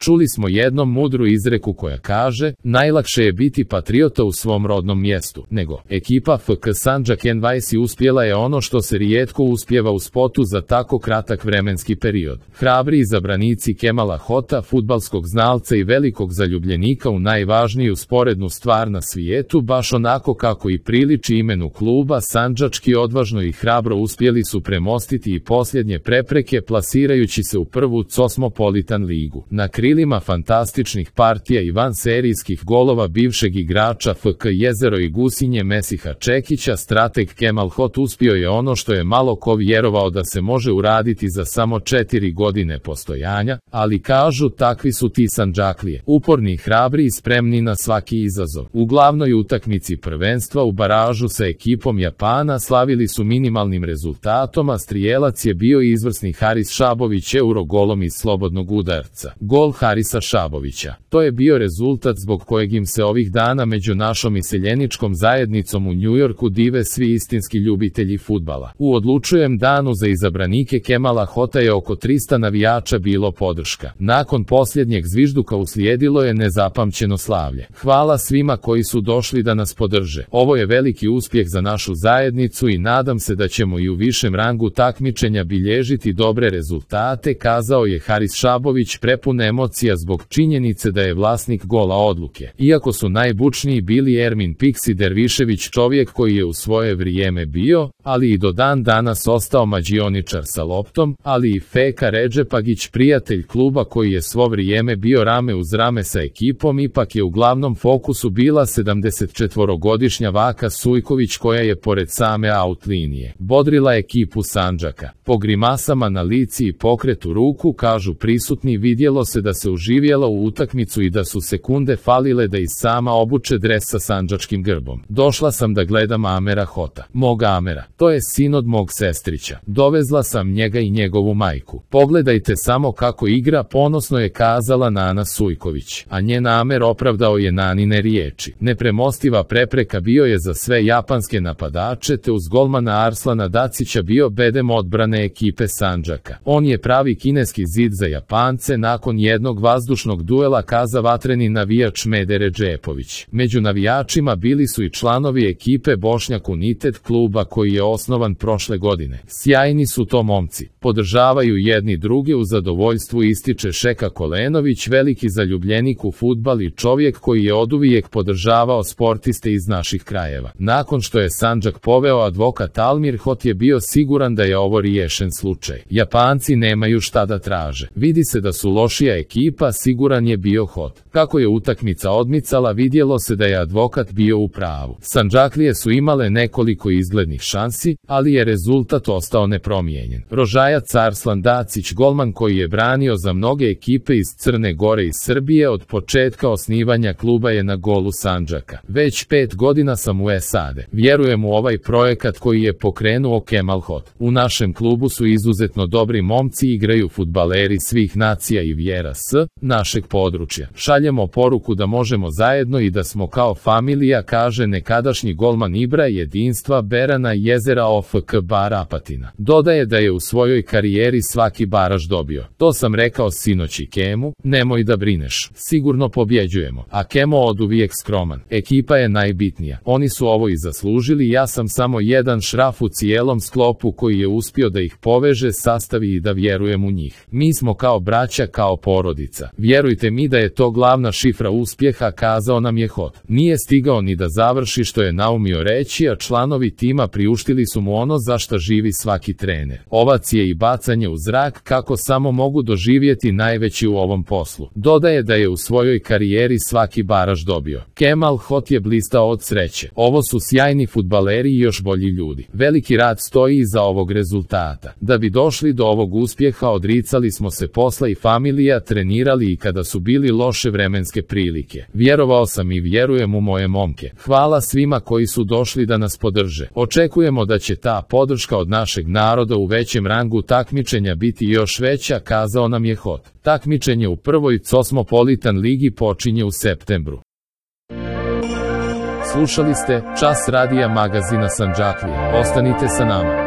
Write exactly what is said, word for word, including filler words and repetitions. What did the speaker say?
Čuli smo jednom mudru izreku koja kaže, najlakše je biti patriota u svom rodnom mjestu, nego ekipa F K Sandžak N dvadeset uspjela je ono što se rijetko uspijeva u spotu za tako kratak vremenski period. Hrabri izabranici Kemala Hota, fudbalskog znalca i velikog zaljubljenika u najvažniju sporednu stvar na svijetu, baš onako kako i priliči imenu kluba, sandžački odvažno i hrabro uspjeli su premostiti i posljednje prepreke plasirajući se u prvu Cosmopolitan ligu. Na krilima fantastičnih partija i vanserijskih golova bivšeg igrača F K Jezero i Gusinje Mesiha Čekića, strateg Kemal Hot uspio je ono što je malo ko vjerovao da se može uraditi za samo četiri godine postojanja, ali kažu takvi su ti Sandžaklije, uporni, hrabri i spremni na svaki izazov. U glavnoj utakmici prvenstva u baražu sa ekipom Japana slavili su minimalnim rezultatom, a strijelac je bio izvrsni Haris Šabović Eurogolom iz slobodnog udarca. Gol Harisa Šabovića. To je bio rezultat zbog kojeg im se ovih dana među našom iseljeničkom zajednicom u Njujorku dive svi istinski ljubitelji fudbala. U odlučujem danu za izabranike Kemala Hota je oko trista navijača bilo podrška. Nakon posljednjeg zvižduka uslijedilo je nezapamćeno slavlje. Hvala svima koji su došli da nas podrže. Ovo je veliki uspjeh za našu zajednicu i nadam se da ćemo i u višem rangu takmičenja bilježiti dobre rezultate, kazao je Haris Šabović prepun emocija zbog činjenice da je vlasnik gola odluke. Iako su najbučniji bili Ermin Piksi Dervišević, čovjek koji je u svoje vrijeme bio, ali i do dan danas ostao mađioničar sa loptom, ali i Feka Redžepagić, prijatelj kluba koji je svo vrijeme bio rame uz rame sa ekipom, ipak je u glavnom fokusu bila sedamdesetčetvorogodišnja Vaka Sujković koja je pored same out linije bodrila ekipu Sandžaka. Po grimasama na lici i pokretu ruku, kažu prisutni, vidjelo se da se uživjela u utakmicu i da su sekunde falile da i sama obuče dres sa sandžačkim grbom. Došla sam da gledam Amera Hota. Mog Amera. To je sin od mog sestrića. Dovezla sam njega i njegovu majku. Pogledajte samo kako igra, ponosno je kazala Nana Sujković. A njen Amer opravdao je Nanine riječi. Nepremostiva prepreka bio je za sve japanske napadače, te uz golmana Arslana Dacića bio bedem odbrane ekipe Sandžaka. On je pravi kineski zid za Japance, nakon jednog vazdušnog duela, kaza vatreni navijač Mede Redžepović. Među navijačima bili su i članovi ekipe Bošnjak United kluba koji je osnovan prošle godine. Sjajni su to momci. Podržavaju jedni druge u zadovoljstvu, ističe Šeka Kolenović, veliki zaljubljenik u fudbal i čovjek koji je oduvijek podržavao sportiste iz naših krajeva. Nakon što je Sandžak poveo advokat Almir Hot je bio siguran da je ovo riješen slučaj. Japanci nemaju šta da traže. Vidi se da su lošija ekipa, siguran je bio Hot. Kako je utakmica odmicala, vidjelo se da je advokat bio u pravu. Sandžaklije su imale nekoliko izglednih šansi, ali je rezultat ostao nepromijenjen. Rožajac Arslan Dacić, golman koji je branio za mnoge ekipe iz Crne Gore i Srbije od početka osnivanja kluba, je na golu Sandžaka. Već pet godina sam u S A D. Vjerujem u ovaj projekat koji je pokrenuo Kemal Hot. U našem klubu su izuzetno dobri momci, igraju fudbaleri svih nacija i vjera s našeg područja. Šaljemo poruku da možemo zajedno i da smo kao familija, kaže nekadašnji golman Ibra jedinstva Berana Jezera O F K Bar Apatina. Dodaje da je u svojoj karijeri svaki baraž dobio. To sam rekao sinoć i Kemu, nemoj da brineš, sigurno pobjeđujemo. A Kemo oduvijek skroman. Ekipa je najbitnija. Oni su ovo i zaslužili, ja sam samo jedan šraf u cijelom sklopu koji je uspio da ih poveže, sastavi i da vjerujem u njih. Mi smo kao braća, kao porodica. Vjerujte mi da je to glavna šifra uspjeha, kazao nam je Hot. Nije stigao ni da završi što je naumio reći, a članovi tima priuštili su mu ono za šta živi svaki trener. Ovacije i bacanje u zrak, kako samo mogu doživjeti najveći u ovom poslu. Dodaje da je u svojoj karijeri svaki baraž dobio. Kemal Hot je blistao od sreće. Ovo su sjajni fudbaleri i još bolji ljudi. Veliki rad stoji iza ovog rezultata. Da bi došli do ovog uspjeha, odricali smo se posla i familija, trenirali i kada su bili loše vremenske prilike. Vjerovao sam i vjerujem u moje momke. Hvala svima koji su došli da nas podrže. Očekujemo da će ta podrška od našeg naroda u većem rangu takmičenja biti još veća, kazao nam je Hot. Takmičenje u prvoj Cosmopolitan ligi počinje u septembru. Slušali ste Čas radija magazina Sandžaklije. Ostanite sa nama.